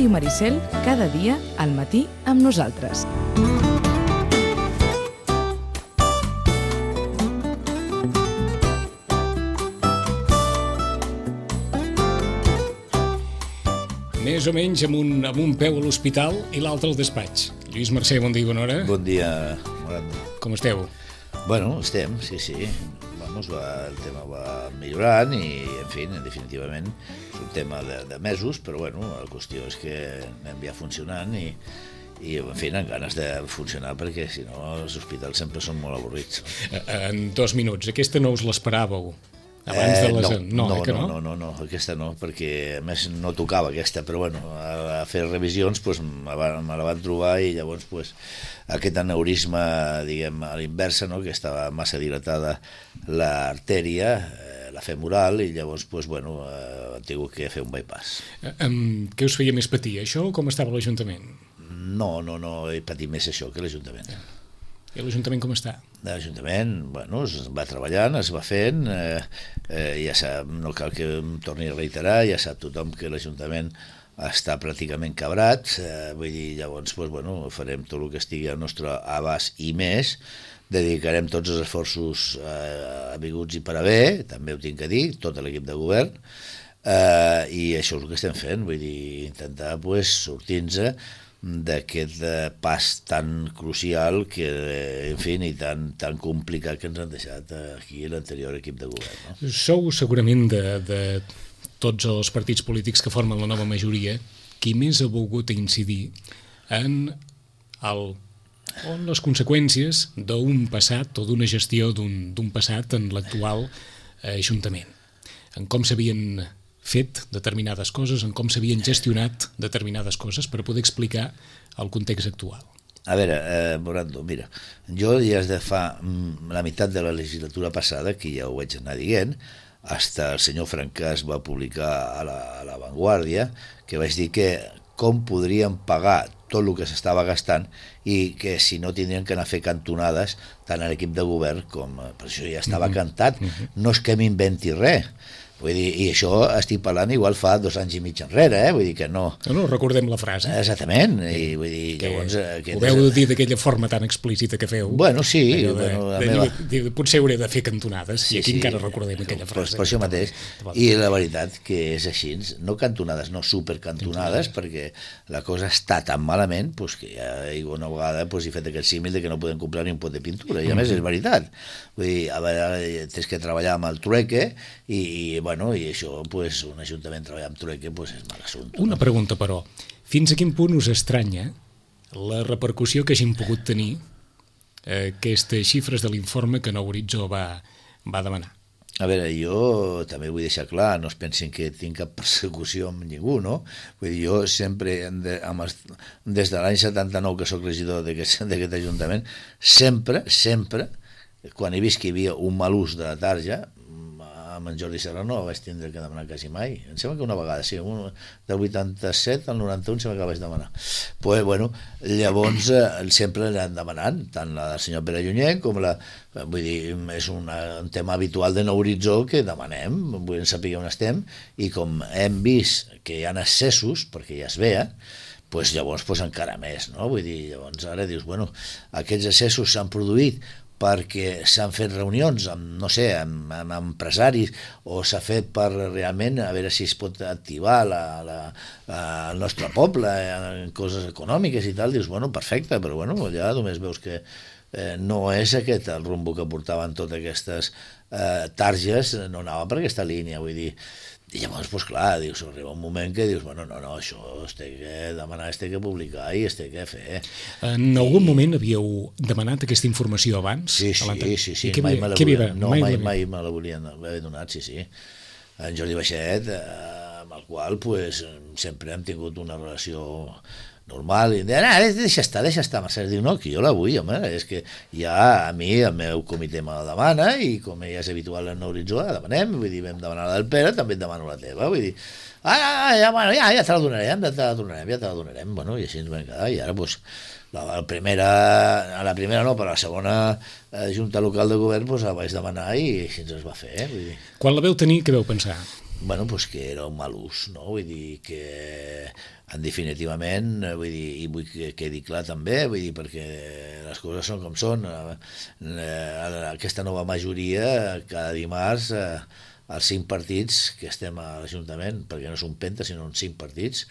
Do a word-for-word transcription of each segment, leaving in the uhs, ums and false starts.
Ràdio Maricel, cada dia al matí amb nosaltres. Més o menys amb un, amb un peu a l'hospital i l'altre al despatx. Lluís Mercè, bon dia i bona hora. Bon dia, Morando. Com esteu? Bueno, estem, sí, sí. Vamos, va, el tema va millorant i, en fi, definitivament és un tema de, de mesos, però bueno, la qüestió és que anem ja funcionant i, i en fi, amb ganes de funcionar perquè si no els hospitals sempre són molt avorrits. En dos minuts, aquesta no us l'esperàveu? Abans de les... Eh, no, no, no, eh, no, no? no, no, no, aquesta no, perquè a més no tocava aquesta, però bueno, a, a fer revisions pues, me, va, me la van trobar i llavors pues, aquest aneurisma, diguem, a l'inversa, no, que estava massa dilatada l'artèria, eh, la femoral, i llavors pues, bueno, eh, he tingut que fer un bypass. Eh, um, què us feia més patir, això o com estava l'Ajuntament? No, no, no, he patit més això que l'Ajuntament. I l'Ajuntament com està? L'Ajuntament, bueno, es va treballant, es va fent, eh, eh, ja sap, no cal que em torni a reiterar, ja sap tothom que l'Ajuntament està pràcticament cabrat, eh, vull dir, llavors, pues, bueno, farem tot el que estigui al nostre abast i més, dedicarem tots els esforços eh, avinguts i per haver, també ho tinc que dir, tot l'equip de govern, eh, i això és el que estem fent, vull dir, intentar pues, sortir-nos d'aquest pas tan crucial que, en fi, i tan, tan complicat que ens han deixat aquí l'anterior equip de govern. No? Sou segurament de, de tots els partits polítics que formen la nova majoria qui més ha volgut incidir en, el, en les conseqüències d'un passat o d'una gestió d'un passat en l'actual Ajuntament, en com s'havien fet determinades coses, en com s'havien gestionat determinades coses per poder explicar el context actual. A veure, eh, Morando, mira, jo ja des de fa la meitat de la legislatura passada, que ja ho vaig anar dient, hasta el senyor Francàs va publicar a la, a la Vanguardia, que vaig dir que com podrien pagar tot el que s'estava gastant i que si no tindrien que anar a fer cantonades tant a l'equip de govern com... Per això ja estava mm-hmm. cantat, mm-hmm. no és que m'inventi res. Vull dir, i això estic parlant igual fa dos anys i mig enrere, eh? Vull dir que no... No, no, recordem la frase. Exactament, i vull dir, que llavors... Ho veu dir d'aquella forma tan explícita que feu. Bueno, sí. De, bueno, la de, meva... de, potser hauré de fer cantonades, sí, i aquí sí, encara recordem aquella frase. Per, per això mateix. I la veritat que és així, no cantonades, no supercantonades, perquè la cosa està tan malament pues, que ja una vegada pues, he fet aquest símil de que no podem comprar ni un pot de pintura, i a més és veritat. Vull dir, a veure, tens que treballar amb el trueque, i, i bueno, i això pues, un ajuntament treballar amb trueque pues, és mal assumpte. Una no? pregunta, però. Fins a quin punt us estranya la repercussió que hagin pogut tenir eh, aquestes xifres de l'informe que Nou Horitzó va, va demanar? A veure, jo també vull deixar clar, no es pensin que tinc cap persecució amb ningú, no? Vull dir, jo sempre, de, amb els, des de l'any setanta-nou que soc regidor d'aquest Ajuntament, sempre, sempre, quan he vist que hi havia un mal ús de la tarja, amb en Jordi Serrano vaig tindre que demanar quasi mai. Em sembla que una vegada, sí, un, del vuitanta-set al noranta-un sembla que vaig demanar. Pues, bueno, llavors eh, sempre l'han demanant, tant la del senyor Pere Llunyent com la... Vull dir, és una, un tema habitual de Nou Horitzó que demanem, vull saber on estem, i com hem vist que hi ha excessos, perquè ja es veia, pues, llavors pues, encara més, no? Vull dir, llavors ara dius, bueno, aquests excessos s'han produït perquè s'han fet reunions amb, no sé, amb, amb empresaris o s'ha fet per realment a veure si es pot activar la, la, la, el nostre poble en coses econòmiques i tal, dius, bueno, perfecte, però bueno, ja només veus que eh, no és aquest el rumbo que portaven totes aquestes eh, targes, no anava per aquesta línia, vull dir. I llavors, doncs clar, dius, arriba un moment que dius, bueno, no, no, això es té que demanar, es té que publicar i es té que fer. En algun I... moment havíeu demanat aquesta informació abans? Sí, sí, sí, sí, I mai me la volien, no, mai, mai, mai me la volien haver donat, sí, sí. En Jordi Baixet, eh, amb el qual pues, sempre hem tingut una relació normal, i de, ah, deixa estar, deixa estar, Mercè, diu, no, que jo la vull, home, és que ja a mi el meu comitè me la demana, i com ja és habitual en Nou Horitzó, la demanem, vull dir, vam demanar la del Pere, també et demano la teva, vull dir, ah, ja, bueno, ja, ja te la donarem, ja te la donarem, ja te la donarem, bueno, i així ens vam quedar, i ara, doncs, la, la primera, a la primera no, però a la segona eh, Junta Local de Govern, doncs la vaig demanar i així ens es va fer, eh, vull dir. Quan la veu tenir, què veu pensar? bueno, pues que era un mal ús, no? Vull dir que en definitivament, vull dir, i vull que quedi clar també, vull dir, perquè les coses són com són. Aquesta nova majoria, cada dimarts, els cinc partits que estem a l'Ajuntament, perquè no és un penta, sinó uns cinc partits,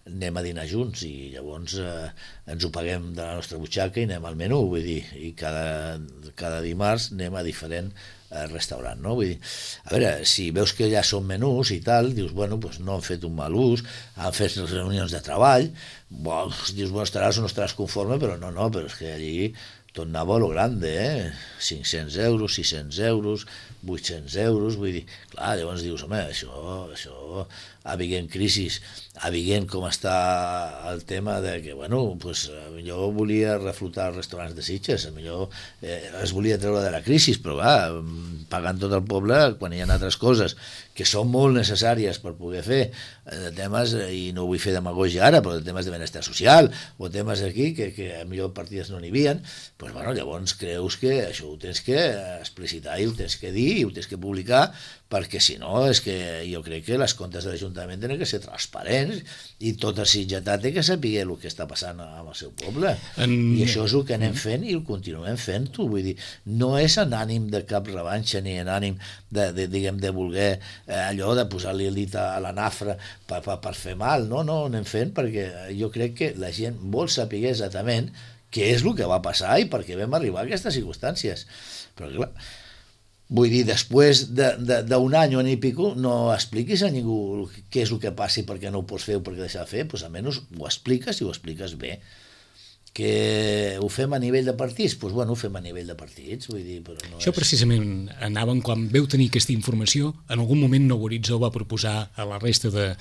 anem a dinar junts i llavors eh, ens ho paguem de la nostra butxaca i anem al menú, vull dir, i cada, cada dimarts anem a diferent eh, restaurant, no? Vull dir, a veure, si veus que ja són menús i tal, dius, bueno, pues no han fet un mal ús, han fet reunions de treball, bon, dius, bueno, estaràs o no estaràs conforme, però no, no, però és que allí tot anava a lo grande, eh? cinc-cents euros, sis-cents euros, vuit-cents euros, vull dir, clar, llavors dius, home, això, això, havent crisis, havent com està el tema de que, bueno, pues, millor volia reflotar els restaurants de Sitges, millor eh, es volia treure de la crisi, però va, pagant tot el poble quan hi ha altres coses que són molt necessàries per poder fer de temes, i no vull fer demagogia ara, però de temes de benestar social o temes aquí que, que millor partides no n'hi havia, doncs, bueno, llavors creus que això ho tens que explicitar i ho tens que dir i ho tens que publicar, perquè si no és que jo crec que les comptes de l'Ajuntament tenen que ser transparents i tot el sitgetà té que saber el que està passant amb el seu poble. En... I això és el que anem fent i ho continuem fent-ho. Vull dir, no és en ànim de cap revanxa ni en ànim de, de, diguem, de voler eh, allò de posar-li el dit a la nafra per, per, per fer mal. No, no, ho anem fent perquè jo crec que la gent vol saber exactament què és el que va passar i per què vam arribar a aquestes circumstàncies. Però clar, vull dir, després d'un de, de, any o any i pico, no expliquis a ningú què és el que passa i per què no ho pots fer o per què deixar de fer, doncs almenys ho expliques i ho expliques bé. Que ho fem a nivell de partits? Doncs bueno, ho fem a nivell de partits, vull dir, però no Això és... precisament anàvem, quan veu tenir aquesta informació, en algun moment Nou Horitzó va proposar a la resta de,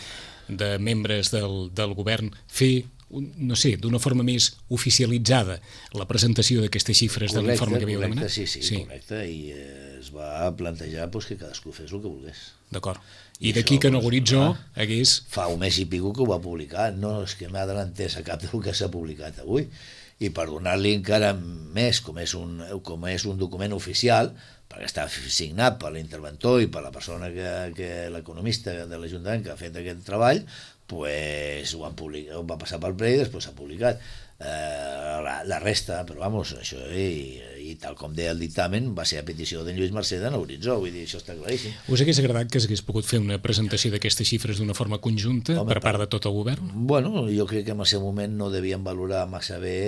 de membres del, del govern fer, no sé, d'una forma més oficialitzada la presentació d'aquestes xifres correcte, de l'informe que havíeu demanat? Sí, sí, sí, correcte, i eh, es va plantejar pues, que cadascú fes el que volgués. D'acord. I, I d'aquí que Nou Horitzó hagués... Fa un mes i pico que ho va publicar, no és que m'ha adelantés a cap del que s'ha publicat avui, i per donar-li encara més, com és, un, com és un document oficial, perquè està signat per l'interventor i per la persona que, que l'economista de l'Ajuntament que ha fet aquest treball, pues ho, han publicat, ho va passar pel ple i després s'ha publicat. Eh, la, la resta, però vamos, això i, i tal com deia el dictamen va ser a petició d'en Lluís Mercè de Nou Horitzó, vull dir, això està claríssim. Us hagués agradat que s'hagués pogut fer una presentació d'aquestes xifres d'una forma conjunta Home, per part de tot el govern? Bueno, jo crec que en el seu moment no devien valorar massa bé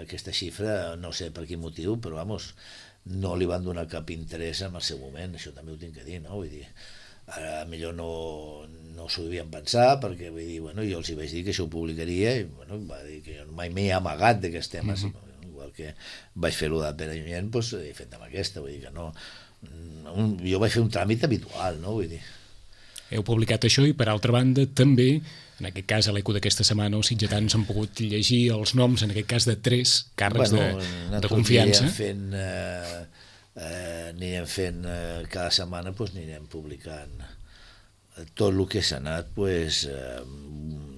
aquesta xifra, no sé per quin motiu, però vamos, no li van donar cap interès en el seu moment, això també ho tinc que dir, no? Vull dir, ara millor no, no s'ho devien pensar perquè vull dir, bueno, jo els hi vaig dir que això ho publicaria i bueno, va dir que jo mai m'he amagat d'aquests temes, uh -huh. igual que vaig fer-ho de Pere Llunyent, doncs he fet amb aquesta, vull dir que no, un, jo vaig fer un tràmit habitual, no? Vull dir. Heu publicat això i per altra banda també, en aquest cas a l'Eco d'aquesta setmana els sitgetans han pogut llegir els noms, en aquest cas de tres càrrecs bueno, de, de confiança. Anirem fent, eh, eh, anirem fent eh, cada setmana doncs, anirem publicant tot el que s'ha anat pues, eh,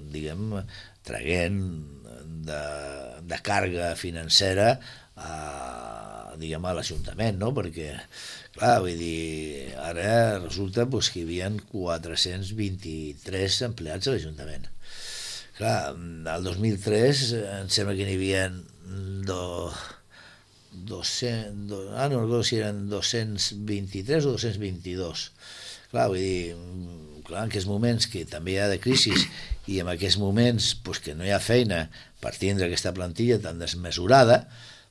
diguem, traguent de, de càrrega financera a, diguem, a l'Ajuntament, no? Perquè clar, vull dir, ara resulta pues, que hi havia quatre-cents vint-i-tres empleats a l'Ajuntament. Clar, el dos mil tres em sembla que n'hi havia do, dos-cents, do, ah, no recordo si eren dos-cents vint-i-tres o dos-cents vint-i-dos. Clar, vull dir, clar, en aquests moments que també hi ha de crisi i en aquests moments pues, que no hi ha feina per tindre aquesta plantilla tan desmesurada,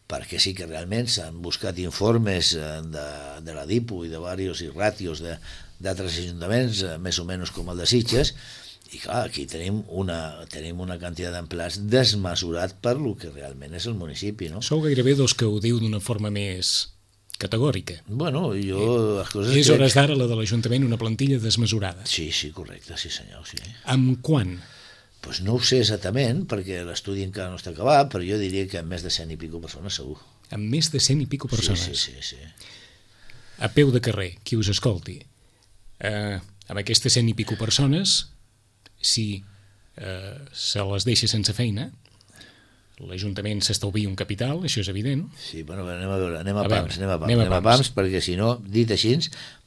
perquè sí que realment s'han buscat informes de, de la DIPU i de diversos i ràtios d'altres ajuntaments, més o menys com el de Sitges, i clar, aquí tenim una, tenim una quantitat d'empleats desmesurat per lo que realment és el municipi, no? Sou gairebé dos que ho diu d'una forma més categòrica. Bueno, jo... Les coses és crec... hores d'ara la de l'Ajuntament una plantilla desmesurada. Sí, sí, correcte, sí senyor, sí. Amb quan? Pues no ho sé exactament, perquè l'estudi encara no està acabat, però jo diria que amb més de cent i pico persones segur. Amb més de cent i pico persones? Sí, sí, sí. sí. A peu de carrer, qui us escolti, eh, amb aquestes cent i pico persones, si eh, se les deixa sense feina, l'Ajuntament s'estalvia un capital, això és evident. Sí, bueno, anem a veure, anem a, a pams, veure, anem a pams, anem a pams, anem a pams, perquè si no, dit així,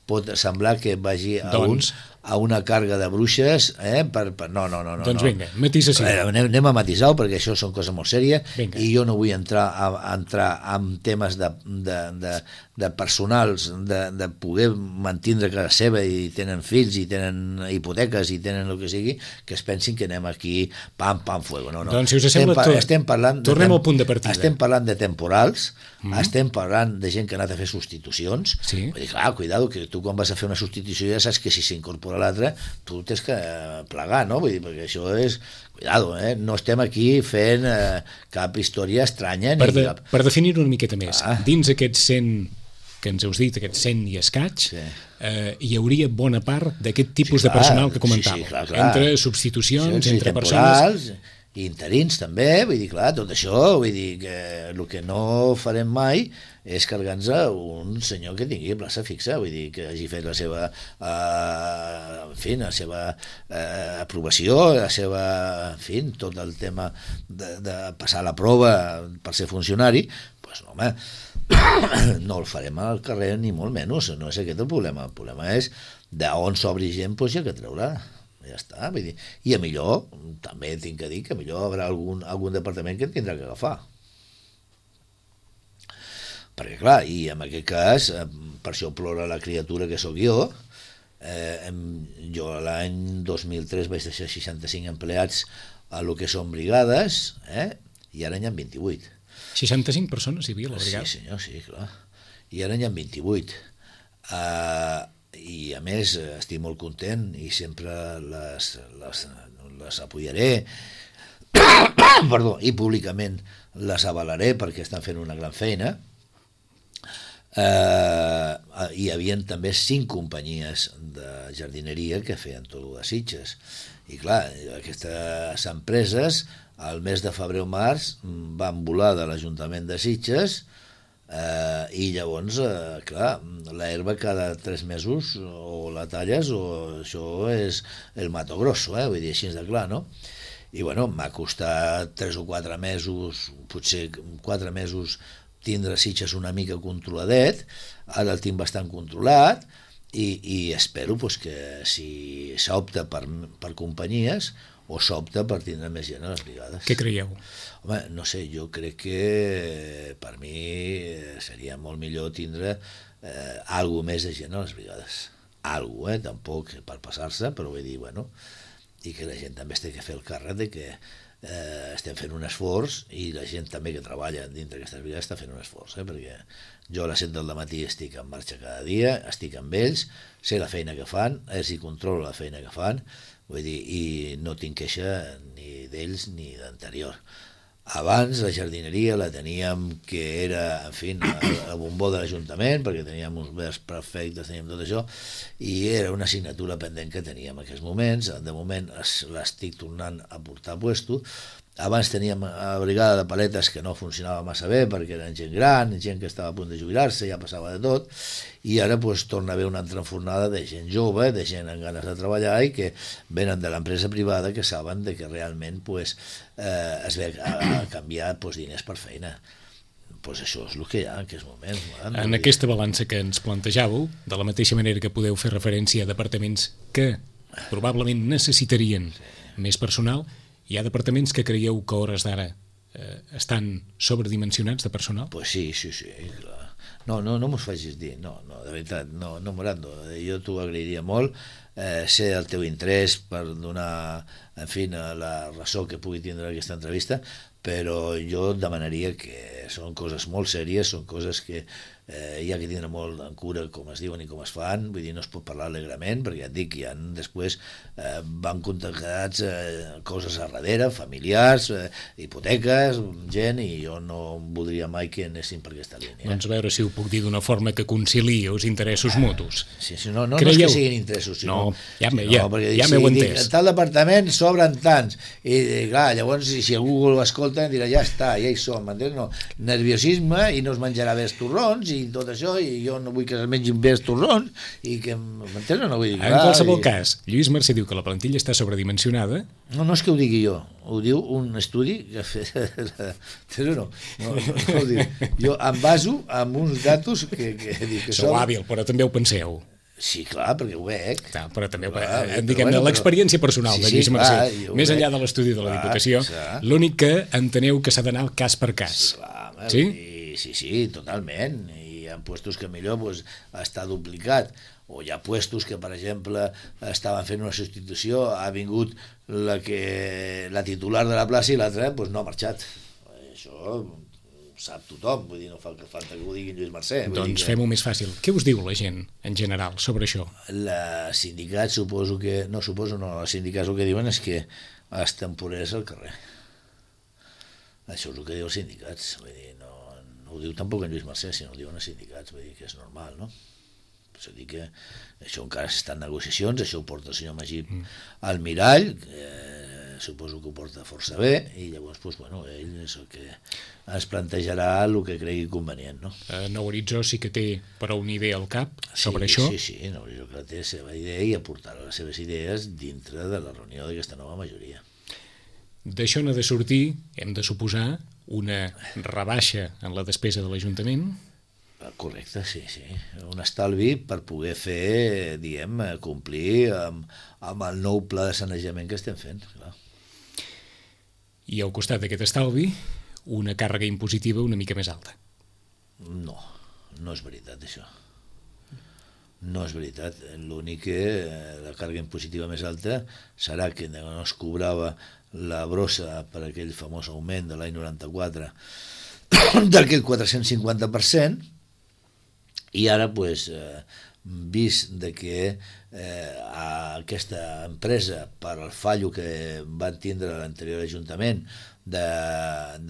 pot semblar que vagi a, doncs, un, a una càrrega de bruixes, eh? Per, per, no, no, no, no. Doncs no. vinga, matisació. Eh, anem, anem a matisar-ho, perquè això són coses molt sèries, Vinga. i jo no vull entrar a, a entrar en temes de, de, de, de personals, de, de poder mantindre casa seva i tenen fills i tenen hipoteques i tenen el que sigui, que es pensin que anem aquí pam, pam, fuego. No, no. Doncs si us sembla, estem, tot, estem parlant tornem de, al punt de partida. Estem parlant de temporals, Mm. estem parlant de gent que ha anat a fer substitucions. Sí. Vull dir, clar, cuidado, que tu quan vas a fer una substitució ja saps que si s'incorpora l'altre tu tens que plegar, no? Vull dir, perquè això és... Cuidado, eh? No estem aquí fent eh, cap història estranya. Per, ni de, cap... per definir-ho una miqueta més, Ah. dins aquests cent que ens heus dit, aquests cent i escaig, Sí. eh, hi hauria bona part d'aquest tipus Sí, de clar, personal que sí, comentàvem, sí, clar, clar. entre substitucions, Sí, sí, entre temporals, persones... i interins també, vull dir, clar, tot això, vull dir que el que no farem mai és carregar-nos un senyor que tingui plaça fixa, vull dir, que hagi fet la seva eh, en fi, la seva eh, aprovació, la seva, en fi, tot el tema de, de passar la prova per ser funcionari, doncs no, home, no el farem al carrer ni molt menys, no és aquest el problema, el problema és d'on s'obri gent, doncs hi ha que treure. Ja està, vull dir, i a millor també tinc que dir que a millor haurà algun, algun departament que en tindrà que agafar, perquè clar, i en aquest cas per això plora la criatura que sóc jo. eh, jo l'any dos mil tres vaig deixar seixanta-cinc empleats a lo que són brigades, eh? I ara n'hi ha vint-i-vuit. seixanta-cinc persones hi havia a la brigada. Sí senyor, sí, clar, i ara n'hi ha vint-i-vuit. eh, i a més estic molt content i sempre les, les, les apoyaré perdó, i públicament les avalaré perquè estan fent una gran feina. Eh, hi havia també cinc companyies de jardineria que feien tot el de Sitges, i clar, aquestes empreses al mes de febrer o març van volar de l'Ajuntament de Sitges. Uh, i llavors, uh, clar, l'herba cada tres mesos o la talles o això és el mato grosso, eh? Vull dir, així de clar, no? I bueno, m'ha costat tres o quatre mesos, potser quatre mesos, tindre Sitges una mica controladet. Ara el tinc bastant controlat i, i espero pues, que si s'opta per, per companyies o s'opta per tindre més gent a les brigades. Què creieu? Home, no sé, jo crec que per mi seria molt millor tindre eh, algo més de gent a les brigades. Algo, eh? Tampoc per passar-se, però vull dir, bueno, i que la gent també es té que fer el càrrec de que eh, estem fent un esforç i la gent també que treballa dintre d'aquestes brigades està fent un esforç, eh? Perquè jo a les set del matí estic en marxa cada dia, estic amb ells, sé la feina que fan, ells hi controlo la feina que fan, vull dir, i no tinc queixa ni d'ells ni d'anterior. Abans la jardineria la teníem que era, en fi, el bombó de l'Ajuntament, perquè teníem uns verds perfectes, teníem tot això, i era una assignatura pendent que teníem en aquests moments. De moment l'estic tornant a portar a puesto. Abans teníem a brigada de paletes que no funcionava massa bé perquè eren gent gran, gent que estava a punt de jubilar-se, ja passava de tot, i ara pues, torna a haver una altra enfornada de gent jove, de gent amb ganes de treballar i que venen de l'empresa privada que saben de que realment pues, eh, es ve a, a canviar pues, diners per feina. Pues això és el que hi ha en aquests moments. Man, en aquesta balança que ens plantejàveu, de la mateixa manera que podeu fer referència a departaments que probablement necessitarien sí. més personal, hi ha departaments que creieu que a hores d'ara eh, estan sobredimensionats de personal? Pues sí, sí, sí, clar. No, no, no mos facis dir, no, no, de veritat, no, no Morando, jo t'ho agrairia molt, eh, ser el teu interès per donar, en fi, la raó que pugui tindre aquesta entrevista, però jo demanaria que són coses molt sèries, són coses que eh, hi ha que tindre molt en cura com es diuen i com es fan, vull dir, no es pot parlar alegrement, perquè ja et dic, hi ha després eh, van contactats eh, coses a darrere, familiars, eh, hipoteques, gent, i jo no voldria mai que anessin per aquesta línia. Doncs a veure si ho puc dir d'una forma que conciliï els interessos ah, mutus. Sí, sí, no, no, Creieu? No és que siguin interessos, sinó... No, ja, sinó, ja, perquè, ja si m'heu dic, entès. en tal departament sobren tants, i, i clar, llavors si, si algú ho escolta dirà, ja està, ja hi som, m'entens? No, nerviosisme i no es menjarà bé els torrons i tot això, i jo no vull que es mengin bé els torrons i que, m'entens? No vull dir, en qualsevol i... cas, Lluís Mercè diu que la plantilla està sobredimensionada. No, no és que ho digui jo, ho diu un estudi que ha fet... Però no, no, no, no ho dic. Jo em baso amb uns datos que, que, que Sou són... hàbil, però també ho penseu. Sí, clar, perquè ho veig. Clar, però també clar, eh, diguem-ne bueno, l'experiència personal sí, de Lluís sí, Mercè, clar, més veig. enllà de l'estudi de la Clar, Diputació, clar. l'únic que enteneu que s'ha d'anar cas per cas. Sí, clar, home, Sí? I, sí, sí, totalment. I hi ha puestos que millor pues, està duplicat. O hi ha puestos que, per exemple, estaven fent una substitució, ha vingut la, que, la titular de la plaça i l'altra pues, no ha marxat. Això sap tothom, vull dir, no fa falta que ho digui Lluís Mercè. Doncs que... fem-ho més fàcil. Què us diu la gent, en general, sobre això? La sindicat, suposo que... No, suposo no, els sindicats el que diuen és que els temporers al carrer. Això és el que diuen els sindicats. Vull dir, no, no ho diu tampoc en Lluís Mercè, sinó ho diuen els sindicats. Vull dir que és normal, no? És a dir que això encara està en negociacions, això ho porta el senyor Magí mm. al mirall, que suposo que ho porta força bé, i llavors, doncs, bueno, ell és el que ens plantejarà el que cregui convenient, no? Uh, Nou Horitzó sí que té però una idea al cap sobre sí, això. Sí, sí, Nou Horitzó que té la seva idea i aportarà les seves idees dintre de la reunió d'aquesta nova majoria. D'això n'ha de sortir, hem de suposar, una rebaixa en la despesa de l'Ajuntament. Correcte, sí, sí. Un estalvi per poder fer, diguem, complir amb, amb el nou pla de sanejament que estem fent, clar. I al costat d'aquest estalvi, una càrrega impositiva una mica més alta. No, no és veritat, això. No és veritat. L'únic que la càrrega impositiva més alta serà que no es cobrava la brossa per aquell famós augment de l'any noranta-quatre d'aquell quatre-cents cinquanta per cent, i ara, pues, eh, vist de que eh, aquesta empresa, per al fallo que van tindre l'anterior Ajuntament de,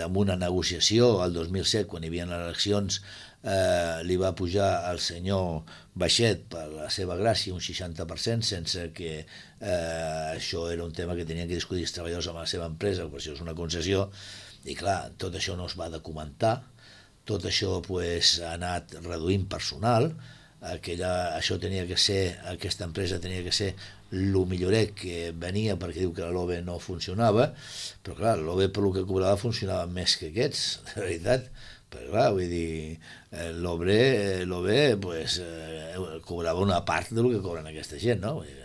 amb una negociació el dos mil set, quan hi havia les eleccions, eh, li va pujar al senyor Baixet per la seva gràcia un seixanta per cent, sense que eh, això era un tema que tenien que discutir els treballadors amb la seva empresa, per això és una concessió, i clar, tot això no es va documentar, tot això pues, ha anat reduint personal, aquella, això tenia que ser, aquesta empresa tenia que ser el milloret que venia perquè diu que l'O B E no funcionava, però clar, l'O B E per el que cobrava funcionava més que aquests, de veritat, però clar, vull dir, l'O B E, l'O B E pues, eh, cobrava una part del que cobren aquesta gent, no? Vull dir,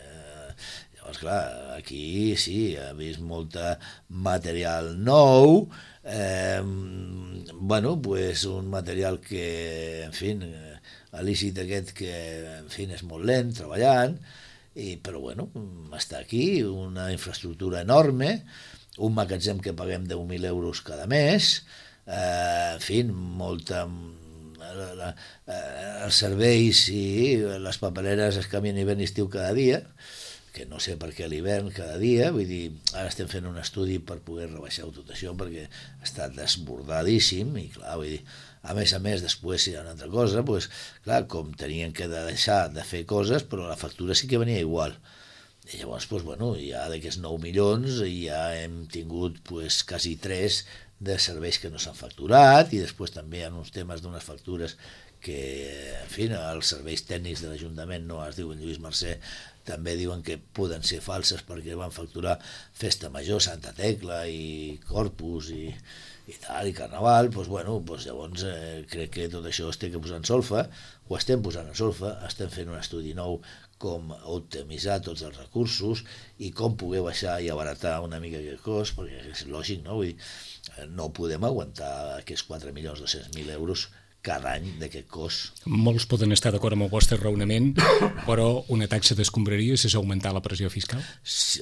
llavors, clar, aquí sí, ha vist molta material nou, eh, bueno, pues un material que, en fi, l'ícit aquest que, en fi, és molt lent, treballant, i, però bueno, està aquí, una infraestructura enorme, un magatzem que paguem deu mil euros cada mes, eh, en fi, molta... La, la, els serveis i les papereres es canvien hivern i estiu cada dia, que no sé per què a l'hivern cada dia, vull dir, ara estem fent un estudi per poder rebaixar tot això perquè està desbordadíssim i clar, vull dir, a més a més després hi ha una altra cosa, doncs, clar, com tenien que deixar de fer coses, però la factura sí que venia igual. I llavors, doncs, bueno, ja d'aquests nou milions ja hem tingut pues, quasi tres de serveis que no s'han facturat i després també hi ha uns temes d'unes factures que, en fi, els serveis tècnics de l'Ajuntament, no es diuen Lluís Mercè, també diuen que poden ser falses perquè van facturar Festa Major, Santa Tecla i Corpus i, i tal, i Carnaval, doncs, bueno, doncs llavors eh, crec que tot això es té que posar en solfa, ho estem posant en solfa, estem fent un estudi nou com optimitzar tots els recursos i com poder baixar i abaratar una mica aquest cost, perquè és lògic, no? Vull dir, no podem aguantar aquests quatre milions dos-cents mil euros cada any d'aquest cost. Molts poden estar d'acord amb el vostre raonament, però una taxa d'escombraries és augmentar la pressió fiscal?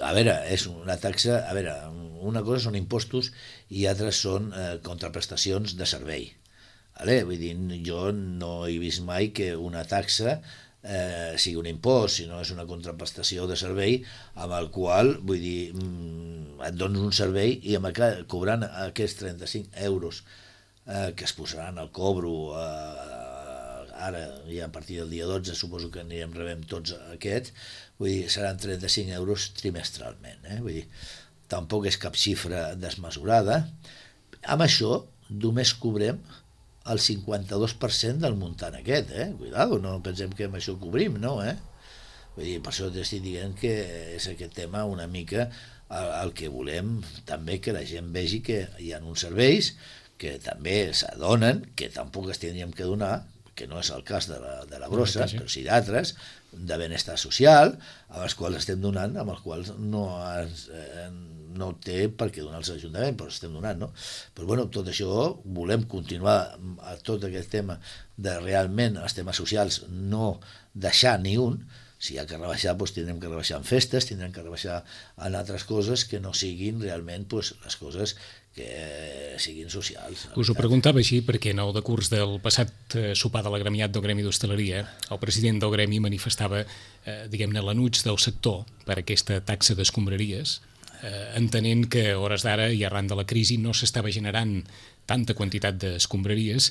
A veure, és una taxa... A veure, una cosa són impostos i altres són eh, contraprestacions de servei. Vale? Vull dir, jo no he vist mai que una taxa eh, sigui un impost, sinó és una contraprestació de servei amb el qual, vull dir, mm, et dones un servei i amb el, cobrant aquests trenta-cinc euros Eh, que es posaran al cobro eh, ara, ja a partir del dia dotze suposo que anirem rebem tots aquests, vull dir, seran trenta-cinc euros trimestralment, eh? Vull dir, tampoc és cap xifra desmesurada. Amb això només cobrem el cinquanta-dos per cent del muntant aquest, eh? Cuidado, no pensem que amb això cobrim, no, eh? Vull dir, per això t'estic dient que és aquest tema una mica el, el que volem també que la gent vegi que hi ha uns serveis que també s'adonen, que tampoc es tindríem que donar, que no és el cas de la, de la brossa, però sí d'altres, de benestar social, amb els quals estem donant, amb els quals no, es, eh, no té per què donar els ajuntaments, però estem donant, no? Però bueno, tot això volem continuar a tot aquest tema de realment els temes socials, no deixar ni un. Si hi ha que rebaixar, doncs tindrem que rebaixar en festes, tindrem que rebaixar en altres coses que no siguin realment doncs, les coses que siguin socials. Us ho preguntava així perquè en el decurs del passat sopar de l'agremiat del Gremi d'Hostaleria, el president del Gremi manifestava, eh, diguem-ne, l'anuig del sector per aquesta taxa d'escombraries, eh, entenent que a hores d'ara i arran de la crisi no s'estava generant tanta quantitat d'escombraries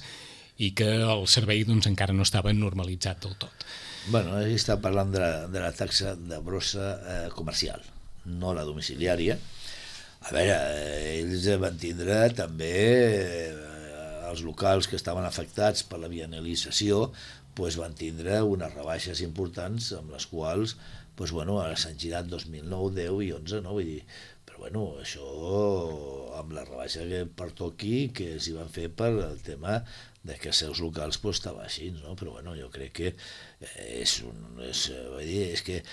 i que el servei doncs, encara no estava normalitzat del tot. Bueno, ell està parlant de la, de la taxa de brossa eh, comercial, no la domiciliària. A veure, eh, ells van tindre també eh, els locals que estaven afectats per la bienalització, pues, van tindre unes rebaixes importants amb les quals pues, bueno, s'han girat dos mil nou, deu i onze, no? Vull dir, però bueno, això amb la rebaixa que pertoqui que s'hi van fer per el tema de que els seus locals pues, estava així, no? Però bueno, jo crec que és, un, és, vull dir, és que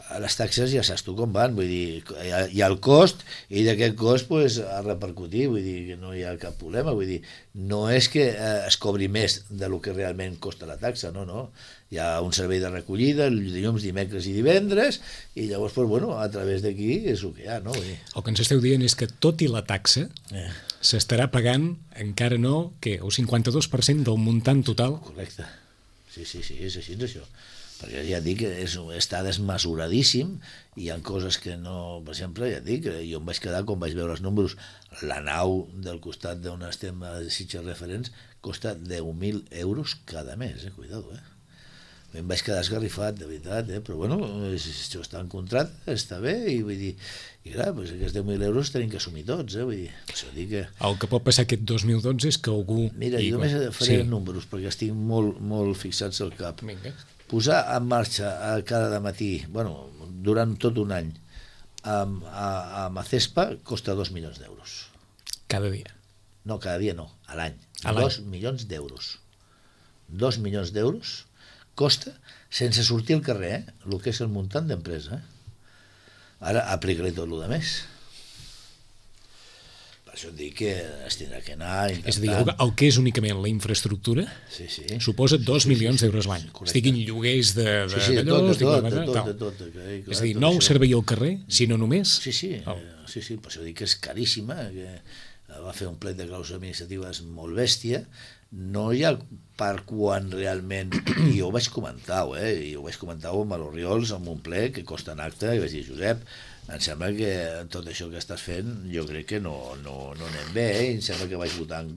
a les taxes ja saps tu com van, vull dir, hi ha, hi ha el cost i d'aquest cost pues, a repercutir, vull dir que no hi ha cap problema, vull dir, no és que eh, es cobri més de lo que realment costa la taxa, no, no, hi ha un servei de recollida dilluns, dimecres i divendres i llavors, pues, bueno, a través d'aquí és el que hi ha, no? Vull dir. El que ens esteu dient és que tot i la taxa eh. s'estarà pagant encara no, que el cinquanta-dos per cent del muntant total. Correcte, sí, sí, sí, és així, és això. Perquè ja dic que és, està desmesuradíssim i hi ha coses que no, per exemple, ja dic, jo em vaig quedar quan vaig veure els números, la nau del costat d'on estem a Sitges Referents costa deu mil euros cada mes, eh? Cuidado, eh? Em vaig quedar esgarrifat, de veritat, eh? Però bueno, això està en contrat, està bé, i vull dir, i clar, doncs aquests deu mil euros tenim que assumir tots, eh? Vull dir, això dic que... El que pot passar aquest dos mil dotze és que algú... Mira, jo només faré sí. números, perquè estic molt, molt fixats al cap. Vinga. Posar en marxa a cada matí, bueno, durant tot un any, amb, a, amb Acespa costa dos milions d'euros. Cada dia? No, cada dia no, a l'any. A l'any. Dos milions d'euros. Dos milions d'euros costa sense sortir al carrer, eh? El que és el muntant d'empresa. Eh? Ara aplica-li tot el de més. Per això et dic que es tindrà que anar intentant... És a dir, el, el que és únicament la infraestructura sí, sí. suposa dos sí, milions sí, sí, d'euros l'any. sí, sí, estiguin lloguers de, de, sí, sí, de d'allò, tot, de estiguin tot, de, de tot, de tot, de, de, és a dir, no el servei al carrer, sinó només... Sí, sí, oh. sí, sí, per això dic que és caríssima, que va fer un plet de clàusules administratives molt bèstia, no hi ha per quan realment, i jo ho vaig comentar, eh? I ho vaig comentar amb l'Oriols, amb un ple que costa en acte, i vaig dir, Josep, em sembla que tot això que estàs fent jo crec que no, no, no anem bé, eh? Em sembla que vaig votar en,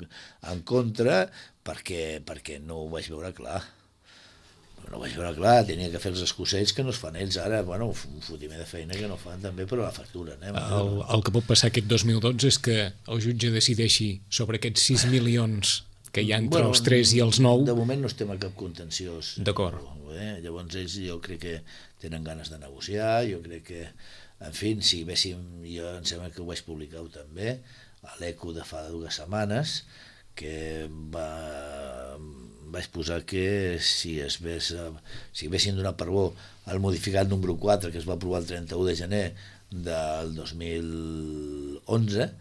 en contra perquè, perquè no ho vaig veure clar. No ho vaig veure clar, tenia que fer els escocells que no es fan ells ara, bueno, un fotimer de feina que no fan també, però la facturen. Eh? El, el que pot passar aquest dos mil dotze és que el jutge decideixi sobre aquests sis milions que hi ha entre bueno, els tres i els nou... De moment no estem a cap contenciós. D'acord. Eh? Llavors ells jo crec que tenen ganes de negociar, jo crec que, en fi, si véssim, jo em sembla que ho vaig publicar també, a l'Eco de fa dues setmanes, que va, vaig posar que si es ves, si haguessin donat per bo el modificat número quatre que es va aprovar el trenta-u de gener del dos mil onze,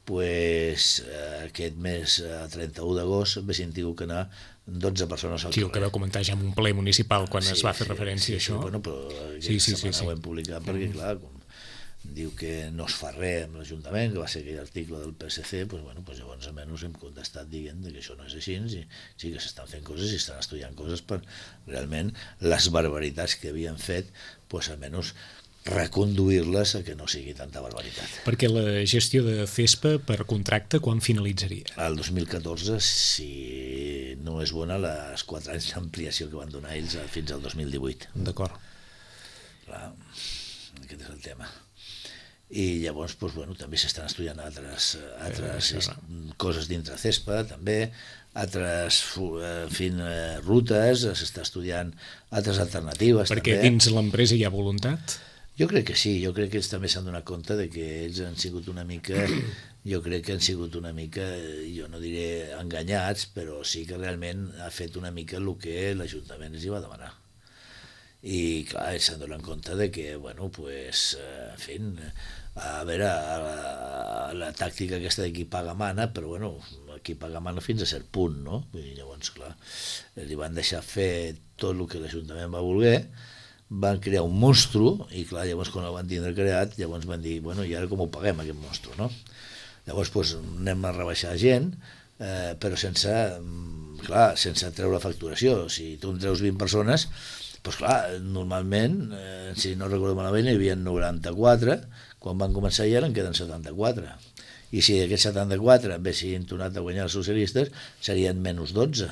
pues, eh, aquest mes, eh, trenta-u d'agost, haguessin tingut que anar dotze persones al sí, carrer. Sí, el que vau comentar ja en un ple municipal quan sí, es va fer sí, referència sí, a això. Sí, bueno, però sí, sí, sí, sí. sí. ho hem publicat perquè, clar, com diu que no es fa res amb l'Ajuntament, que va ser aquell article del P S C, pues, bueno, pues llavors almenys hem contestat dient que això no és així, i sí que s'estan fent coses i estan estudiant coses per realment les barbaritats que havien fet, pues almenys reconduir-les a que no sigui tanta barbaritat. Perquè la gestió de CESPA per contracte quan finalitzaria? El dos mil catorze, si no és bona, les quatre anys d'ampliació que van donar ells fins al dos mil divuit. D'acord. Clar, aquest és el tema. I llavors, doncs, bueno, també s'estan estudiant altres, altres eh, coses dintre CESPA, també, altres en fi, rutes, s'està estudiant altres alternatives. Perquè també. Dins l'empresa hi ha voluntat? Jo crec que sí, jo crec que ells també s'han donat compte de que ells han sigut una mica, jo crec que han sigut una mica, jo no diré enganyats, però sí que realment ha fet una mica el que l'Ajuntament els hi va demanar. I clar, ells s'han donat compte de que, bueno, pues, en fi, a veure, la, la tàctica aquesta de qui paga mana, però bueno, qui paga mana fins a cert punt, no? Vull dir, llavors, clar, li van deixar fer tot el que l'Ajuntament va voler, van crear un monstru, i clar, llavors quan el van tindre creat, llavors van dir, bueno, i ara com ho paguem aquest monstru, no? Llavors, doncs, anem a rebaixar gent, eh, però sense, clar, sense treure facturació. Si tu en treus vint persones, doncs clar, normalment, eh, si no recordo malament, hi havia noranta-quatre, quan van començar ja en queden setanta-quatre. I si aquests setanta-quatre haguessin tornat a guanyar els socialistes, serien menys dotze.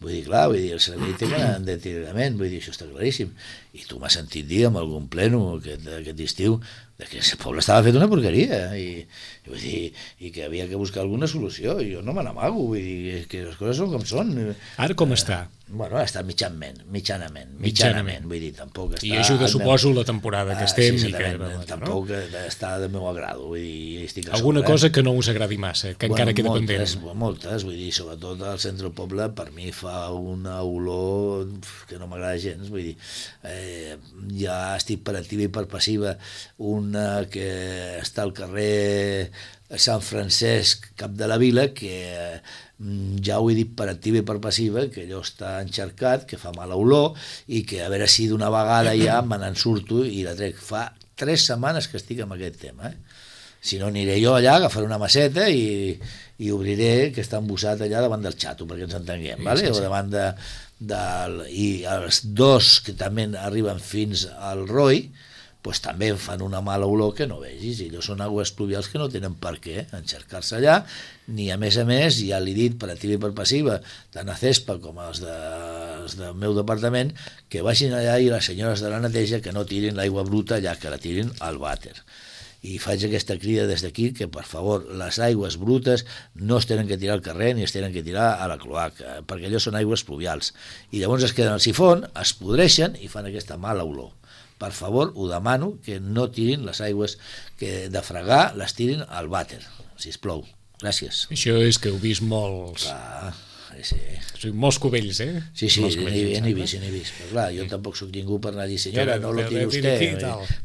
Vull dir, clar, vull dir, el servei té que anar en deteriorament, vull dir, això està claríssim. I tu m'has sentit dir en algun pleno aquest, aquest estiu de que el poble estava fet una porqueria i, i, vull dir, i que havia que buscar alguna solució. I jo no me n'amago, vull dir, que les coses són com són. Ara com està? Bueno, està mitjanament, mitjanament, mitjanament, vull dir, tampoc està... I ajuda, suposo, la temporada que estem. Ah, sí, i que, bueno, tampoc no? Està de meu agrado, vull dir, estic a alguna sobre, cosa eh? que no us agradi massa, que bueno, encara queda moltes, pendent. Moltes, vull dir, sobretot al centre del poble, per mi fa una olor que no m'agrada gens, vull dir, eh, ja estic per activa i per passiva, una que està al carrer Sant Francesc, cap de la vila, que ja ho he dit per activa i per passiva, que allò està encharcat, que fa mala olor, i que a veure si d'una vegada ja me n'en surto i la trec. Fa tres setmanes que estic amb aquest tema, eh? Si no, aniré jo allà, agafaré una maceta i, i obriré que està embossat allà davant del xato, perquè ens entenguem, sí, vale? Sí, sí. O davant de, del, i els dos que també arriben fins al Roi, pues també fan una mala olor que no vegis, i allò són aigües pluvials que no tenen per què encharcar-se allà, ni a més a més, ja l'he dit per activa i per passiva, tant a CESPA com els, de, els del meu departament, que vagin allà i les senyores de la neteja que no tirin l'aigua bruta allà, que la tirin al vàter. I faig aquesta crida des d'aquí que, per favor, les aigües brutes no es tenen que tirar al carrer ni es tenen que tirar a la cloaca, perquè allò són aigües pluvials. I llavors es queden al sifon, es podreixen i fan aquesta mala olor. Per favor, ho demano, que no tirin les aigües que de fregar, les tirin al vàter, sisplau. Gràcies. Això és que heu vist molts... Clar, sí. O sigui, molts cubells, eh? Sí, sí, n'he vist, n'he vist. Però clar, jo tampoc sóc ningú per anar a dir, senyora, no lo tiri vostè,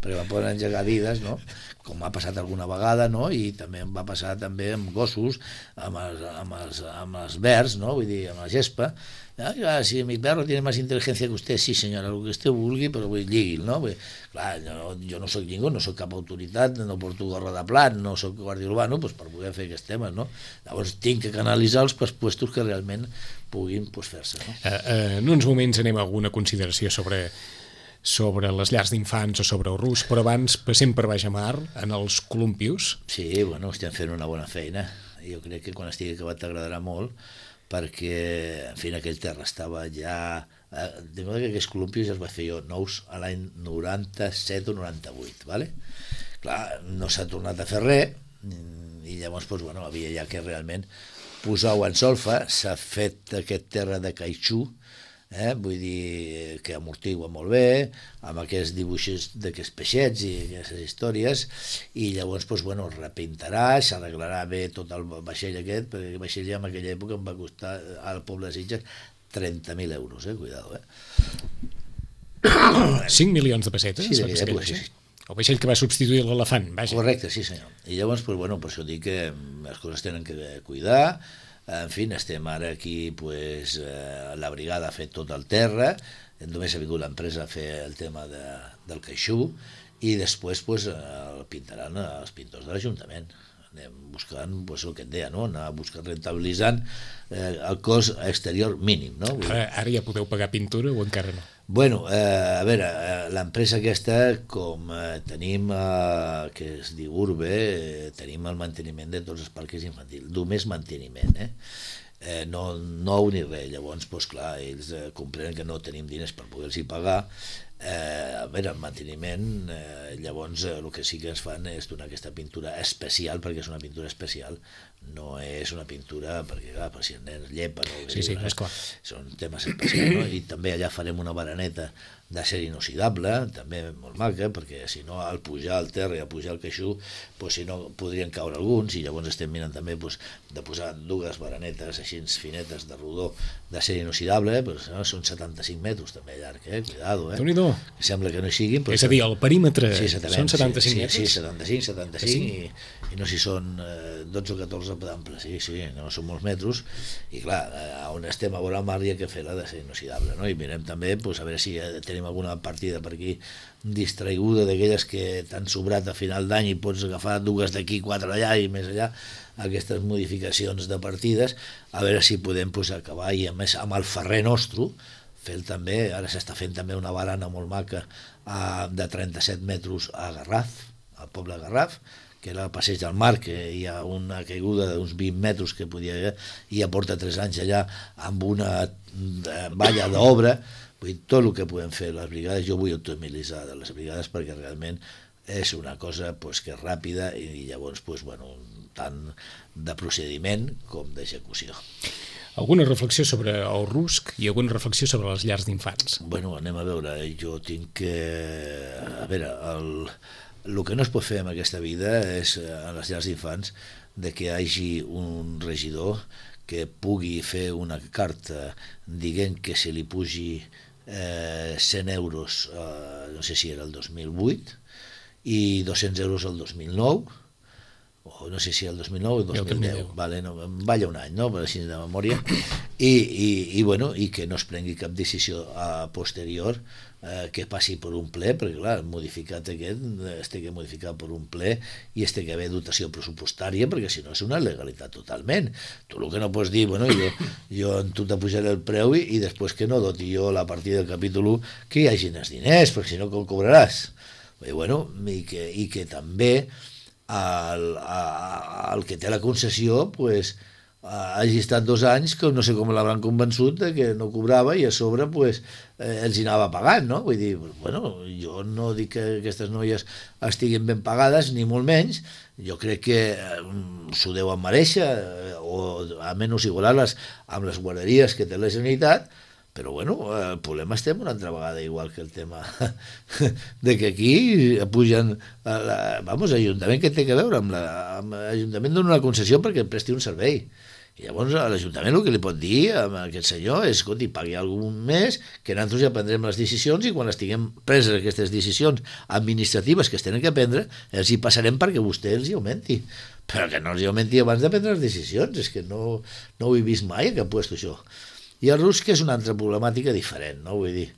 perquè me poden engegar vides, no? Com m'ha passat alguna vegada, no? I també em va passar també amb gossos, amb els, amb els, amb els verds, no? Vull dir, amb la gespa. Ah, si mi perro tiene más inteligencia que usted, sí senyora, el que usted vulgui, però vull lligui'l, no? Vull, clar, jo, jo no soc ningú, no soc cap autoritat, no porto gorra de plat, no soc guàrdia urbano, doncs per poder fer aquests temes, no? Llavors tinc que canalitzar els puestos que realment puguin pues, fer-se, no? Uh, uh, en uns moments anem a alguna consideració sobre sobre les llars d'infants o sobre el rus, però abans passem per baix a mar, en els columpios. Sí, bueno, estem fent una bona feina. Jo crec que quan estigui acabat t'agradarà molt, perquè, en fi, aquell terra estava ja... Eh, de modo que aquests columpios els vaig fer jo nous a l'any noranta-set o noranta-vuit, ¿vale? Clar, no s'ha tornat a fer res, i llavors, doncs, bueno, havia ja que realment posar-ho en solfa, s'ha fet aquest terra de caixú, eh? Vull dir que amortigua molt bé, amb aquests dibuixos d'aquests peixets i aquestes històries, i llavors doncs, bueno, es repintarà, s'arreglarà bé tot el vaixell aquest, perquè el vaixell ja en aquella època em va costar al poble de Sitges trenta mil euros, eh? Cuidado, eh? cinc milions de pessetes? Sí, d'aquella època, sí. El vaixell que va substituir l'elefant, vaja. Correcte, sí senyor. I llavors, pues, bueno, per això dic que les coses tenen que cuidar. En fi, estem ara aquí, pues, eh, la brigada ha fet tot el terra, només ha vingut l'empresa a fer el tema de, del caixú, i després pues, el pintaran els pintors de l'Ajuntament. Anem buscant, pues, el que et deia, no? Anar buscant, rentabilitzant eh, el cost exterior mínim, no? Ara, ara ja podeu pagar pintura o encara no? Bueno, eh, a veure, eh, l'empresa aquesta, com eh, tenim, eh, que es diu Urbe, eh, tenim el manteniment de tots els parcs infantils, només manteniment, eh? Eh, no nou ni res, llavors, doncs clar, ells eh, comprenen que no tenim diners per poder-los pagar, eh, a veure, el manteniment, eh, llavors eh, el que sí que ens fan és donar aquesta pintura especial, perquè és una pintura especial, no és una pintura, perquè clar, per si els nens llepen o sí, sí, és clar. Són temes especials, no? I també allà farem una baraneta d'acer inoxidable, també molt maca, perquè si no al pujar al terra i al pujar al caixú, pues, si no podrien caure alguns, i llavors estem mirant també pues, de posar dues baranetes així finetes de rodó d'acer inoxidable, pues, no? Són setanta-cinc metres també llarg, eh? Cuidado, eh? Déu-n'hi-do. Sembla que no hi siguin, però és a dir, el perímetre sí, són setanta-cinc sí, metres? Sí, setanta-cinc, setanta-cinc, sí. i, i no si són eh, dotze o catorze d'ample, sí, sí, no són molts metres, i clar, eh, on estem a veure el mar hi ha que fer-la d'acer inoxidable, no? I mirem també, pues, a veure si eh, tenim alguna partida per aquí distraiguda d'aquelles que t'han sobrat a final d'any i pots agafar dues d'aquí, quatre d'allà i més allà, aquestes modificacions de partides, a veure si podem pues, acabar, i a més amb el ferrer nostre, fer també, ara s'està fent també una barana molt maca a, de trenta-set metres a Garraf, al poble de Garraf, que era el passeig del mar, que hi ha una caiguda d'uns vint metres que podia haver, i ja porta tres anys allà amb una valla d'obra. Vull dir, tot el que podem fer les brigades, jo vull optimitzar de les brigades perquè realment és una cosa pues, que és ràpida i llavors pues, bueno, tant de procediment com d'execució. Alguna reflexió sobre el rusc i alguna reflexió sobre les llars d'infants? Bueno, anem a veure, jo tinc que... A veure, el, el que no es pot fer en aquesta vida és, a les llars d'infants, de que hi hagi un regidor que pugui fer una carta dient que se li pugi eh, cent euros, eh, no sé si era el dos mil vuit, i dos-cents euros el dos mil nou, o no sé si el dos mil nou o el dos mil deu, vale, no, em balla un any, no? Per així de memòria, i, i, i, bueno, i que no es prengui cap decisió a posterior eh, que passi per un ple, perquè clar, el modificat aquest es té que modificar per un ple i es té que haver dotació pressupostària, perquè si no és una legalitat totalment. Tu el que no pots dir, bueno, jo, jo en tu t'apujaré el preu i, i després que no doti jo la partida del capítol u que hi hagin els diners, perquè si no com cobraràs? I, bueno, i, que, i que també el, el que té la concessió pues, hagi estat dos anys que no sé com l'hauran convençut de que no cobrava i a sobre pues, eh, els hi anava pagant, no? Vull dir, bueno, jo no dic que aquestes noies estiguin ben pagades ni molt menys, jo crec que eh, s'ho deuen merèixer eh, o almenys igualar-les amb les guarderies que té la Generalitat. Però bueno, el problema estem una altra vegada igual que el tema de que aquí pugen la, vamos, l'Ajuntament que té que veure amb l'Ajuntament dona una concessió perquè presti un servei. I llavors l'Ajuntament el que li pot dir a aquest senyor és, escolti, pagui algun mes que nosaltres ja prendrem les decisions i quan estiguem preses aquestes decisions administratives que es tenen que prendre, els hi passarem perquè vostè els hi augmenti. Però que no els hi augmenti abans de prendre les decisions, és que no, no ho he vist mai a cap puesto això. I el rusc és una altra problemàtica diferent, no? Vull dir,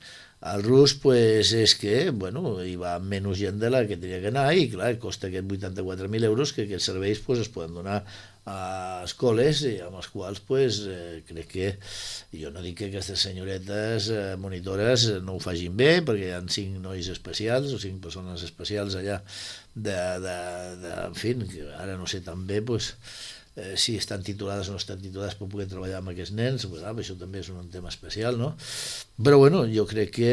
el rusc pues, és que, bueno, hi va menys gent de la que tenia que anar i, clar, costa aquests vuitanta-quatre mil euros que aquests serveis pues, es poden donar a escoles i amb els quals pues, eh, crec que, jo no dic que aquestes senyoretes eh, monitores no ho facin bé, perquè hi ha cinc nois especials o cinc persones especials allà de, de, de en fi, que ara no sé tan bé, pues, Eh, si estan titulades o no estan titulades per poder treballar amb aquests nens, pues, ah, això també és un tema especial, no? Però bueno, jo crec que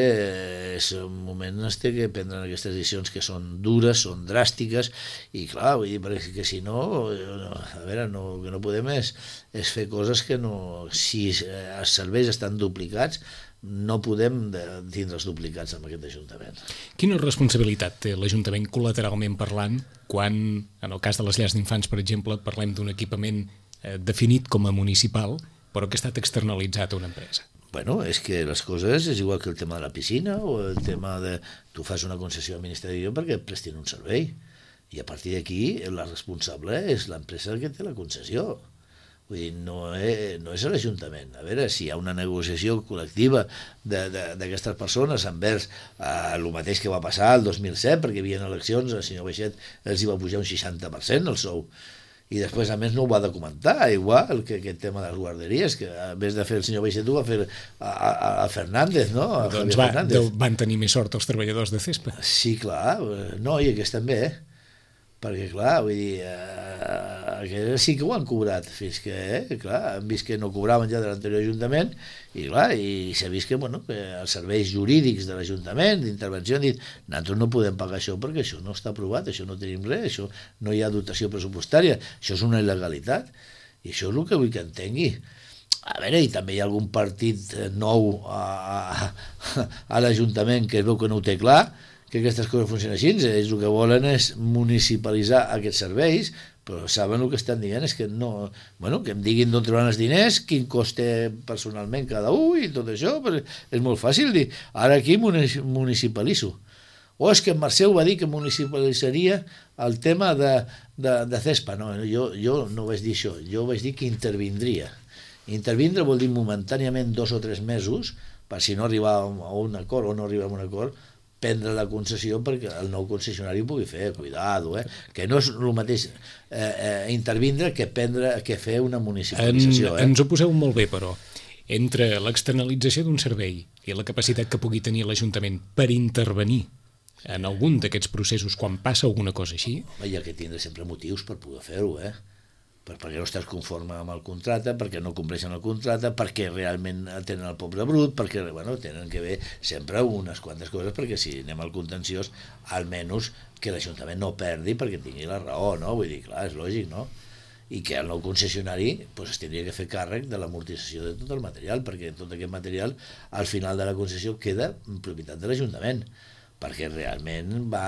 és un moment en què prendran aquestes decisions que són dures, són dràstiques, i clar, vull dir, perquè si no, a veure, no, el que no podem és, és fer coses que no, si els serveis estan duplicats, no podem tindre els duplicats amb aquest Ajuntament. Quina responsabilitat té l'Ajuntament col·lateralment parlant quan, en el cas de les llars d'infants, per exemple, parlem d'un equipament eh, definit com a municipal, però que ha estat externalitzat a una empresa? Bueno, és que les coses és igual que el tema de la piscina o el tema de... Tu fas una concessió administrativa perquè et prestin un servei i a partir d'aquí la responsable és l'empresa que té la concessió. Vull dir, no és, no és l'Ajuntament. A veure, si hi ha una negociació col·lectiva d'aquestes persones envers eh, el mateix que va passar el dos mil set, perquè hi havia eleccions, el senyor Baixet els hi va pujar un seixanta per cent el sou. I després, a més, no ho va documentar, igual que aquest tema de les guarderies, que en vez de fer el senyor Baixet ho va fer a, a, a Fernández, no? A doncs va, van tenir més sort els treballadors de Cespa. Sí, clar. No, i aquests també, eh? perquè clar, vull dir, eh, que sí que ho han cobrat, fins que, eh, clar, han vist que no cobraven ja de l'anterior Ajuntament, i clar, i s'ha vist que, bueno, que els serveis jurídics de l'Ajuntament, d'intervenció, han dit, nosaltres no podem pagar això perquè això no està aprovat, això no tenim res, això no hi ha dotació pressupostària, això és una il·legalitat, i això és el que vull que entengui. A veure, i també hi ha algun partit nou a, a, a l'Ajuntament que es veu que no ho té clar, que aquestes coses funcionen així, ells el que volen és municipalitzar aquests serveis, però saben el que estan dient és que no, bueno, que em diguin d'on trobaran els diners, quin cost té personalment cada un i tot això, però és molt fàcil dir, ara aquí municipalitzo. O és que en Mercè va dir que municipalitzaria el tema de, de, de Cespa, no, jo, jo no vaig dir això, jo vaig dir que intervindria. Intervindre vol dir momentàniament dos o tres mesos, per si no arribar a un acord o no arribar a un acord, prendre la concessió perquè el nou concessionari ho pugui fer, cuidado, eh? Que no és el mateix eh, eh, intervindre que prendre, que fer una municipalització. En, eh? Ens ho poseu molt bé, però, entre l'externalització d'un servei i la capacitat que pugui tenir l'Ajuntament per intervenir en algun d'aquests processos quan passa alguna cosa així... Hi ha que tindre sempre motius per poder fer-ho, eh? perquè no estàs conforme amb el contracte, perquè no compleixen el contracte, perquè realment tenen el poble brut, perquè bueno, tenen que haver sempre unes quantes coses, perquè si anem al contenciós, almenys que l'Ajuntament no perdi perquè tingui la raó, no? Vull dir, clar, és lògic, no? I que el nou concessionari pues, es tindria que fer càrrec de l'amortització de tot el material, perquè tot aquest material al final de la concessió queda en propietat de l'Ajuntament, perquè realment va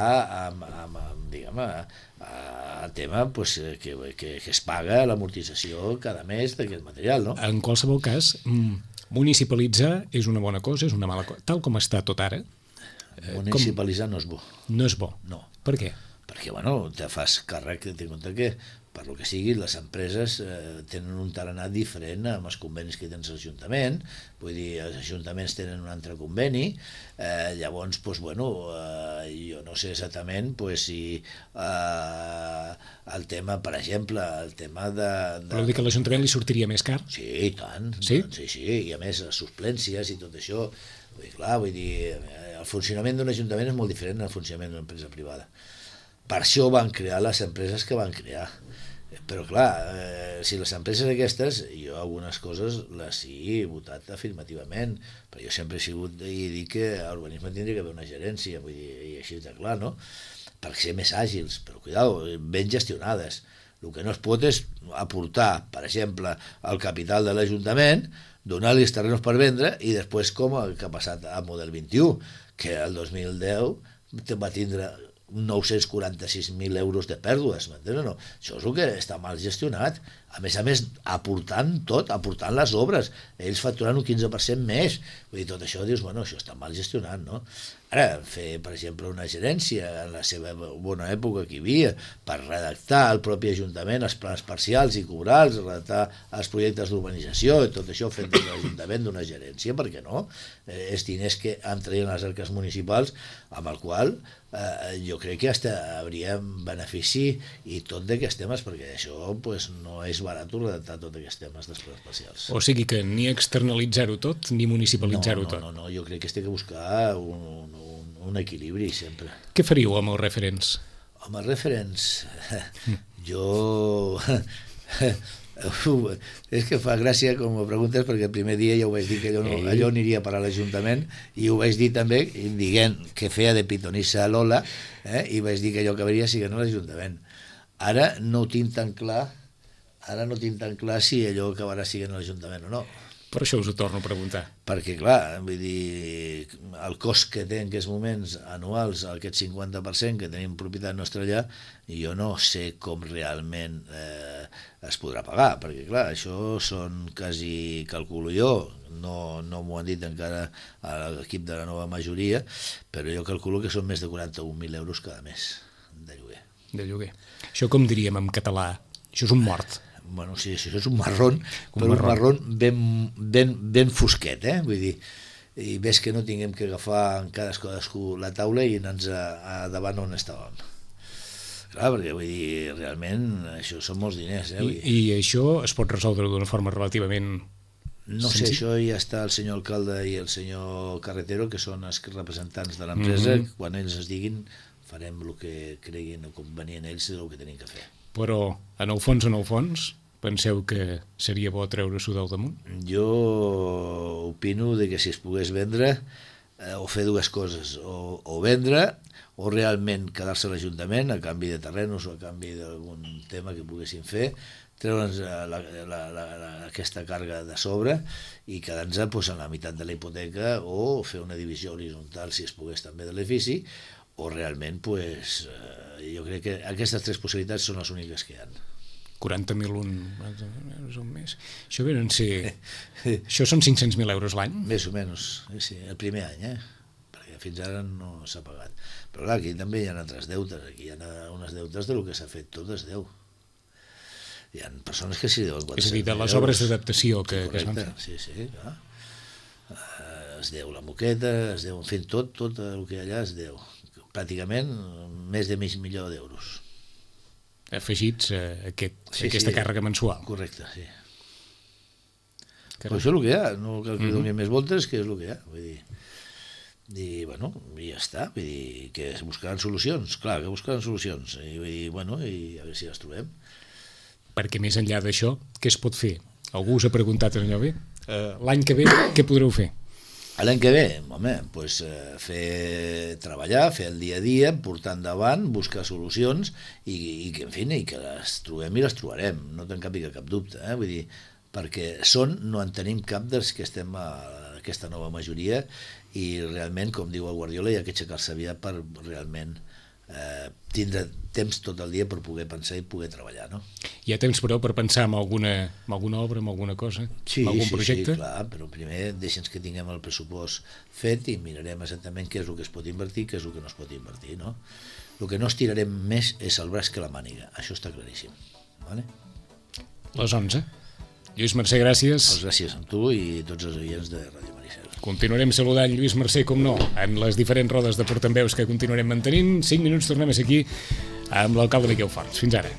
amb, amb, amb diguem, a, a tema pues, que, que, que es paga l'amortització cada mes d'aquest material, no? En qualsevol cas, municipalitzar és una bona cosa, és una mala cosa, tal com està tot ara. Municipalitzar com... no és bo. No és bo? No. Per què? Perquè, bueno, te fas càrrec, té en compte que per lo que sigui, les empreses eh, tenen un tarannà diferent amb els convenis que tens a l'Ajuntament, vull dir, els ajuntaments tenen un altre conveni, eh, llavors, pues, bueno, eh, jo no sé exactament pues, si eh, el tema, per exemple, el tema de... de... Però dir que a l'Ajuntament li sortiria més car? Sí, i tant. Sí? Sí, sí, i a més, les suplències i tot això, vull dir, clar, vull dir, el funcionament d'un ajuntament és molt diferent del funcionament d'una empresa privada. Per això van crear les empreses que van crear. Però clar, eh, si les empreses aquestes, jo algunes coses les he votat afirmativament, però jo sempre he sigut i dic que a urbanisme tindria que haver una gerència, vull dir, i així de clar, no? Per ser més àgils, però cuidado, ben gestionades. El que no es pot és aportar, per exemple, el capital de l'Ajuntament, donar-li els terrenos per vendre i després com el que ha passat al model vint-i-u, que el dos mil deu va tindre nou-cents quaranta-sis mil euros de pèrdues, m'entens o no? Això és el que està mal gestionat. A més a més, aportant tot, aportant les obres, ells facturant un quinze per cent més. Vull dir, tot això dius, bueno, això està mal gestionat, no? Ara, fer, per exemple, una gerència en la seva bona època que hi havia, per redactar el propi Ajuntament els plans parcials i cobrals, redactar els projectes d'urbanització i tot això fet des de l'Ajuntament d'una gerència, per què no? Eh, és diners que entrarien a les arques municipals, amb el qual eh, jo crec que hasta hauria benefici i tot d'aquests temes, perquè això pues, no és barat redactar tots aquests temes dels plans parcials. O sigui que ni externalitzar-ho tot ni municipalitzar-ho no, no, tot. No, no, jo crec que es té que buscar un, un, un equilibri sempre. Què faríeu amb els referents? Amb els referents, jo... és que fa gràcia com ho preguntes perquè el primer dia ja ho vaig dir que allò, no, allò aniria per a l'Ajuntament i ho vaig dir també dient que feia de pitonissa a Lola eh, i vaig dir que allò acabaria siguent a l'Ajuntament. Ara no ho tinc tan clar ara no tinc tan clar si allò acabarà siguent a l'Ajuntament o no. Per això us ho torno a preguntar. Perquè, clar, vull dir, el cost que té en aquests moments anuals, aquest cinquanta per cent que tenim propietat nostra allà, jo no sé com realment eh, es podrà pagar, perquè, clar, això són quasi, calculo jo, no, no m'ho han dit encara a l'equip de la nova majoria, però jo calculo que són més de quaranta-un mil euros cada mes de lloguer. De lloguer. Això com diríem en català? Això és un mort. Bueno, sí, això és un marrón, un però marrón. un marrón ben, ben, ben fosquet, eh? Vull dir, i ves que no tinguem que agafar en cadascú la taula i anar-nos a, a davant on estàvem. Clar, perquè vull dir, realment, això són molts diners, eh? Vull dir. I, I això es pot resoldre d'una forma relativament No sé, això ja està el senyor alcalde i el senyor carretero, que són els representants de l'empresa, mm-hmm. quan ells es diguin farem el que creguin o convenient ells del que tenim que fer. Però, en el fons, en el fons, penseu que seria bo treure-s'ho del damunt? Jo opino de que si es pogués vendre, eh, o fer dues coses, o, o vendre, o realment quedar-se a l'Ajuntament a canvi de terrenos o a canvi d'algun tema que poguessin fer, treure'ns la, la, la, la, aquesta càrrega de sobre i quedar-nos pues, en la meitat de la hipoteca, o fer una divisió horitzontal, si es pogués també, de l'edifici, o realment, pues, eh, jo crec que aquestes tres possibilitats són les úniques que hi ha. quaranta mil un, euros un mes. Això venen ser... Això són cinc-cents mil euros l'any? Més o menys, sí, el primer any, eh? Perquè fins ara no s'ha pagat. Però clar, aquí també hi ha altres deutes, aquí hi ha unes deutes del que s'ha fet tot es deu. Hi ha persones que s'hi deuen és a dir, de les obres d'adaptació que, sí, que es van fer. Sí, sí, clar. Uh, es deu la moqueta, es deu, en fi, tot, tot el que hi ha allà es deu. Pràcticament més de mig milió d'euros. Afegits a aquest, sí, aquesta sí, càrrega mensual. Correcte, sí. Caram. Però això és el que hi ha, no cal que Mm-hmm. doni més voltes, que és el que hi ha. Vull dir, i bueno, i ja està, vull dir, que es buscaran solucions, clar, que buscaran solucions, i vull dir, bueno, i a veure si les trobem. Perquè més enllà d'això, què es pot fer? Algú us ha preguntat allò bé? Uh, L'any que ve, què podreu fer? L'any que ve, home, pues, eh, fer treballar, fer el dia a dia, portar endavant, buscar solucions i, i que, en fi, i que les trobem i les trobarem, no te'n cap, cap dubte, eh? Vull dir, perquè són, no en tenim cap dels que estem a aquesta nova majoria i realment, com diu el Guardiola, hi ha que aixecar-se aviat per realment eh, tindre temps tot el dia per poder pensar i poder treballar, no? Hi ha temps, però, per pensar en alguna, en alguna obra, en alguna cosa? Sí, en algun sí, projecte? sí, clar, però primer deixa'ns que tinguem el pressupost fet i mirarem exactament què és el que es pot invertir, què és el que no es pot invertir, no? El que no estirarem més és el braç que la màniga, això està claríssim, vale? Les onze. Lluís Mercè, gràcies. Pues gràcies a tu i tots els oients de Ràdio Maricel. Continuarem saludant Lluís Mercè, com no, en les diferents rodes de portaveus que continuarem mantenint. cinc minuts, tornem a ser aquí amb l'alcalde Miquel Forns. Fins ara.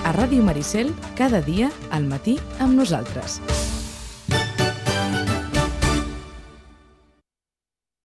A Ràdio Maricel, cada dia al matí amb nosaltres.